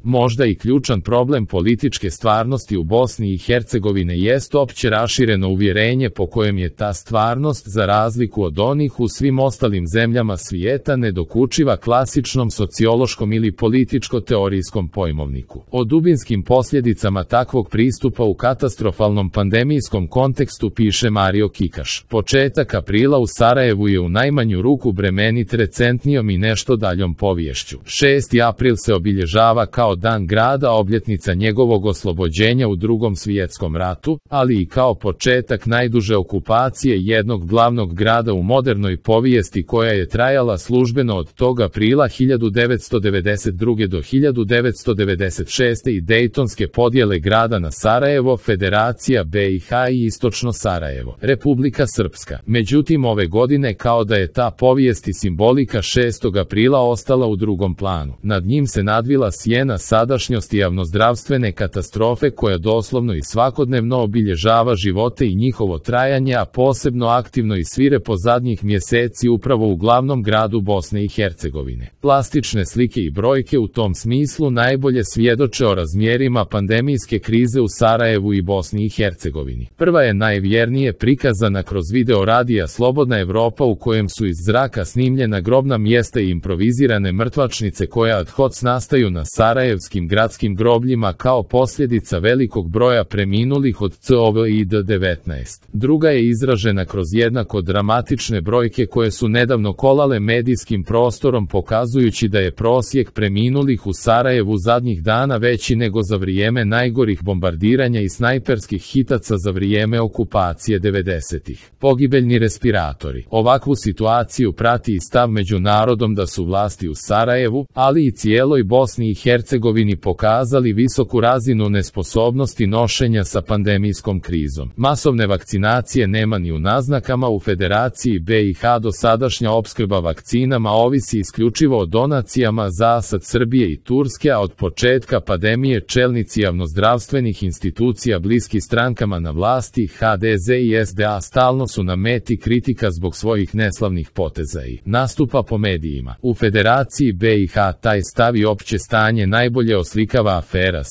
Možda i ključan problem političke stvarnosti u Bosni i Hercegovine jest opće rašireno uvjerenje po kojem je ta stvarnost, za razliku od onih u svim ostalim zemljama svijeta, nedokučiva klasičnom sociološkom ili političko-teorijskom pojmovniku. O dubinskim posljedicama takvog pristupa u katastrofalnom pandemijskom kontekstu piše Mario Kikaš. Početak aprila u Sarajevu je u najmanju ruku bremenit recentnijom i nešto daljom poviješću. 6. april se obilježava kao dan grada, obljetnica njegovog oslobođenja u Drugom svjetskom ratu, ali i kao početak najduže okupacije jednog glavnog grada u modernoj povijesti, koja je trajala službeno od tog aprila 1992. do 1996. i dejtonske podjele grada na Sarajevo, Federacija BiH i Istočno Sarajevo, Republika Srpska. Međutim, ove godine kao da je ta povijest i simbolika 6. aprila ostala u drugom planu. Nad njim se nadvila sjena sadašnjosti javnozdravstvene katastrofe koja doslovno i svakodnevno obilježava živote i njihovo trajanje, a posebno aktivno i svirepo zadnjih mjeseci upravo u glavnom gradu Bosne i Hercegovine. Plastične slike i brojke u tom smislu najbolje svjedoče o razmjerima pandemijske krize u Sarajevu i Bosni i Hercegovini. Prva je najvjernije prikazana kroz video radija Slobodna Evropa, u kojem su iz zraka snimljena grobna mjesta i improvizirane mrtvačnice koja ad hoc nastaju na sarajevskim gradskim grobljima kao posljedica velikog broja preminulih od COVID-19. Druga je izražena kroz jednako dramatične brojke koje su nedavno kolale medijskim prostorom, pokazujući da je prosjek preminulih u Sarajevu zadnjih dana veći nego za vrijeme najgorih bombardiranja i snajperskih hitaca za vrijeme okupacije 90-ih. Pogibeljni respiratori. Ovakvu situaciju prati i stav među narodom da su vlasti u Sarajevu, ali i cijeloj Bosni i Hercegovini, pokazali visoku razinu nesposobnosti nošenja sa pandemijskom krizom. Masovne vakcinacije nema ni u naznakama. U Federaciji BiH dosadašnja opskrba vakcinama ovisi isključivo o donacijama zasad Srbije i Turske, a od početka pandemije čelnici javnozdravstvenih institucija bliski strankama na vlasti, HDZ i SDA, stalno su na meti kritika zbog svojih neslavnih poteza i nastupa po medijima. U Federaciji BiH taj stav i opće stanje najbolje oslikava afera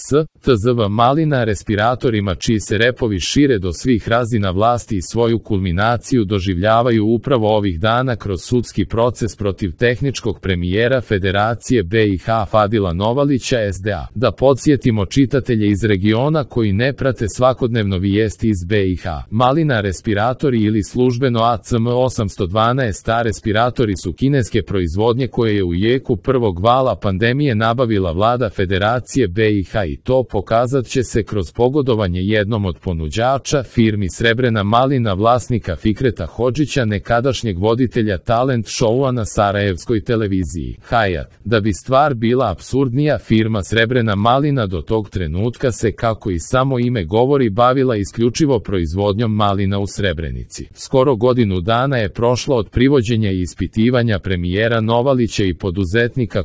tzv. Malina respiratorima, čiji se repovi šire do svih razina vlasti i svoju kulminaciju doživljavaju upravo ovih dana kroz sudski proces protiv tehničkog premijera Federacije BiH Fadila Novalića SDA. Da podsjetimo čitatelje iz regiona koji ne prate svakodnevno vijesti iz BiH. Malina respiratori ili službeno ACM812 respiratori su kineske proizvodnje koje je u jeku prvog vala pandemije nabavila vlada Federacije BiH, i to pokazat će se kroz pogodovanje jednom od ponuđača, firmi Srebrena malina vlasnika Fikreta Hodžića, nekadašnjeg voditelja talent showa na sarajevskoj televiziji Hayat. Da bi stvar bila apsurdnija, firma Srebrena malina do tog trenutka se, kako i samo ime govori, bavila isključivo proizvodnjom malina u Srebrenici. Skoro godinu dana je prošlo od privođenja i ispitivanja premijera Novalića i poduzetnika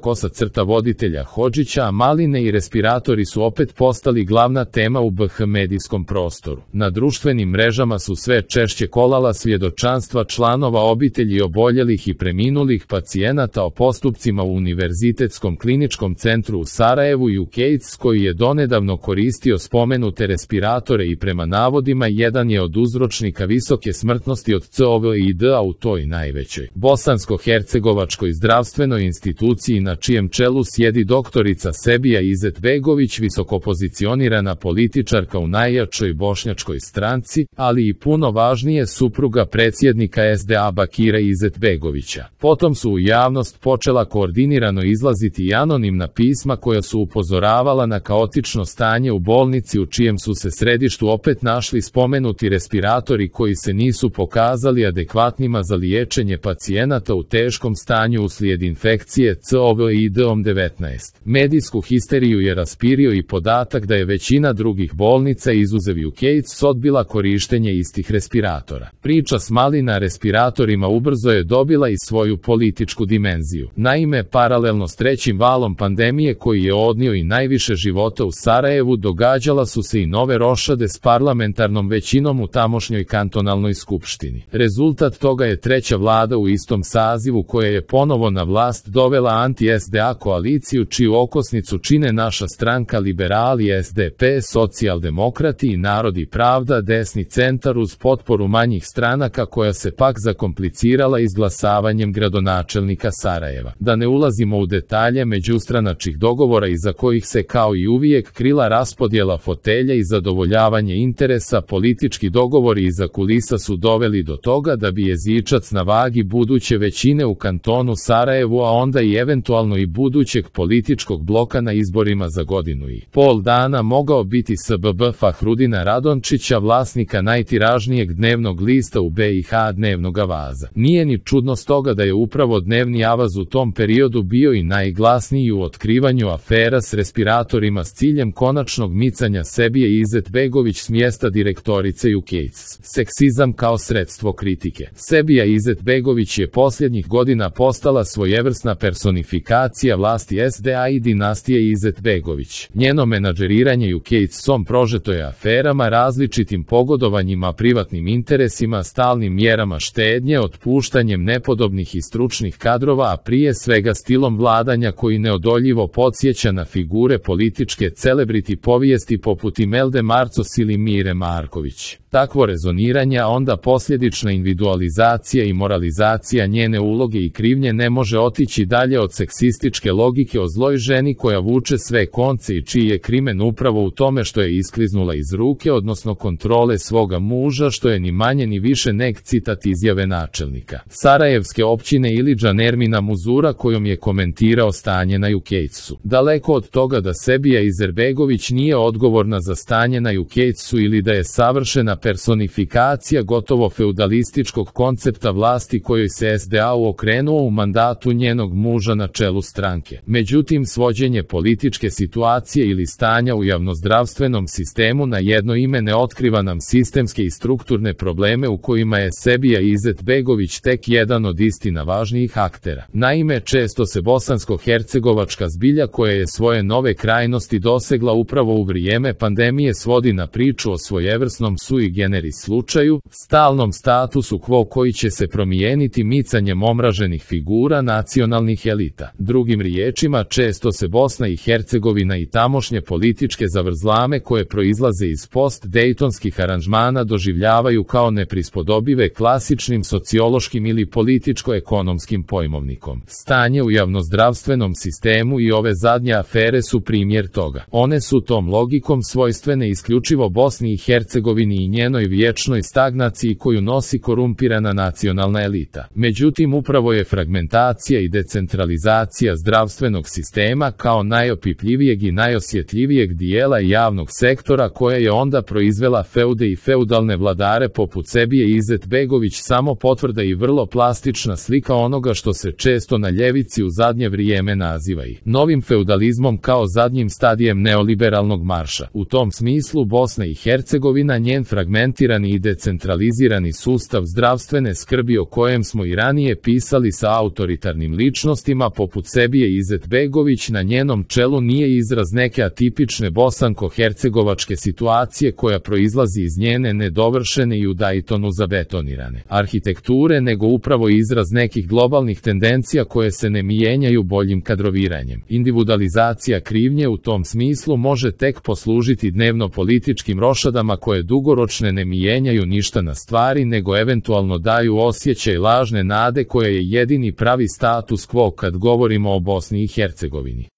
voditelja Hodžića, a maline i respiratori su opet postali glavna tema u BiH medijskom prostoru. Na društvenim mrežama su sve češće kolala svjedočanstva članova obitelji oboljelih i preminulih pacijenata o postupcima u Univerzitetskom kliničkom centru u Sarajevu UKAIDS, koji je donedavno koristio spomenute respiratore i prema navodima jedan je od uzročnika visoke smrtnosti od COVID-a u toj najvećoj bosansko-hercegovačkoj zdravstvenoj instituciji, na čijem čelu sjedi doktorica Sebija Izetbegović, visokopozicionirana političarka u najjačoj bošnjačkoj stranci, ali i puno važnije supruga predsjednika SDA Bakira Izetbegovića. Potom su u javnost počela koordinirano izlaziti i anonimna pisma koja su upozoravala na kaotično stanje u bolnici, u čijem su se središtu opet našli spomenuti respiratori koji se nisu pokazali adekvatnima za liječenje pacijenata u teškom stanju uslijed infekcije COVID-19. Medijsku histeriju je raspirio i podatak da je većina drugih bolnica, izuzev UKAIDS, odbila korištenje istih respiratora. Priča s malina respiratorima ubrzo je dobila i svoju političku dimenziju. Naime, paralelno s trećim valom pandemije koji je odnio i najviše života u Sarajevu, događala su se i nove rošade s parlamentarnom većinom u tamošnjoj kantonalnoj skupštini. Rezultat toga je treća vlada u istom sazivu koja je ponovo na vlast dovela anti-SDA koaliciju, čiju okosnicu desnicu čine naša stranka Liberali, SDP, Socijaldemokrati i Narod i pravda, desni centar uz potporu manjih stranaka koja se pak zakomplicirala izglasavanjem gradonačelnika Sarajeva. Da ne ulazimo u detalje međustranačkih dogovora iza kojih se kao i uvijek krila raspodjela fotelja i zadovoljavanje interesa, politički dogovori iza kulisa su doveli do toga da bi jezičac na vagi buduće većine u kantonu Sarajevu, a onda i eventualno i budućeg političkog bloka na izborima za godinu i pol dana mogao biti SBB Fahrudina Radončića, vlasnika najtiražnijeg dnevnog lista u BiH, Dnevnog Avaza. Nije ni čudno stoga da je upravo Dnevni Avaz u tom periodu bio i najglasniji u otkrivanju afera s respiratorima s ciljem konačnog micanja Sebije Izetbegović s mjesta direktorice UKAIDS. Seksizam kao sredstvo kritike. Sebija Izetbegović je posljednjih godina postala svojevrsna personifikacija vlasti SDA i dinastije Izetbegović. Njeno menadžeriranje UKAIDS-om prožeto je aferama, različitim pogodovanjima, privatnim interesima, stalnim mjerama štednje, otpuštanjem nepodobnih i stručnih kadrova, a prije svega stilom vladanja koji neodoljivo podsjeća na figure političke celebrity povijesti poput Imelde Marcos ili Mire Marković. Takvo rezoniranje, a onda posljedična individualizacija i moralizacija njene uloge i krivnje ne može otići dalje od seksističke logike o zloj ženi koja vuče sve konce i čiji je krimen upravo u tome što je iskliznula iz ruke, odnosno kontrole svoga muža, što je ni manje ni više nek citat izjave načelnika sarajevske općine Ilidža Nermina Muzura kojom je komentirao stanje na UKAIDS-u. Daleko od toga da Sebija Izetbegović nije odgovorna za stanje na UKAIDS-u ili da je savršena personifikacija gotovo feudalističkog koncepta vlasti kojoj se SDA okrenuo u mandatu njenog muža na čelu stranke. Međutim, svođenje političke situacije ili stanja u javnozdravstvenom sistemu na jedno ime ne otkriva nam sistemske i strukturne probleme u kojima je Sebija Izetbegović tek jedan od istina važnijih aktera. Naime, često se bosansko-hercegovačka zbilja koja je svoje nove krajnosti dosegla upravo u vrijeme pandemije svodi na priču o svojevrsnom sui generis slučaju, stalnom statusu quo koji će se promijeniti micanjem omraženih figura nacionalnih elita. Drugim riječima, često se Bosna i Hercegovina i tamošnje političke zavrzlame koje proizlaze iz post-dejtonskih aranžmana doživljavaju kao neprispodobive klasičnim sociološkim ili političko-ekonomskim pojmovnikom. Stanje u javnozdravstvenom sistemu i ove zadnje afere su primjer toga. One su tom logikom svojstvene isključivo Bosni i Hercegovini i njenoj vječnoj stagnaciji koju nosi korumpirana nacionalna elita. Međutim, upravo je fragmentacija i decentralizacija zdravstvenog sistema kao najopipljivijeg i najosjetljivijeg dijela javnog sektora koja je onda proizvela feude i feudalne vladare poput Sebije Izetbegović samo potvrda i vrlo plastična slika onoga što se često na ljevici u zadnje vrijeme naziva i novim feudalizmom kao zadnjim stadijem neoliberalnog marša. U tom smislu Bosna i Hercegovina, njen fragmentirani i decentralizirani sustav zdravstvene skrbi o kojem smo i ranije pisali sa autoritarnim ličnostima poput Sebije Izetbegović na njenom čelu nije izraz neke atipične bosanko-hercegovačke situacije koja proizlazi iz njene nedovršene i u Daytonu zabetonirane arhitekture, nego upravo izraz nekih globalnih tendencija koje se ne mijenjaju boljim kadroviranjem. Individualizacija krivnje u tom smislu može tek poslužiti dnevno političkim rošadama koje dugoročne ne mijenjaju ništa na stvari, nego eventualno daju osjećaj lažne nade koja je jedini pravi status quo kad govorimo o Bosni i Hercegovini.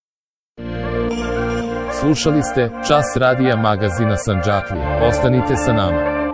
Slušali ste Čas radija magazina Sandžaklija. Ostanite sa nama.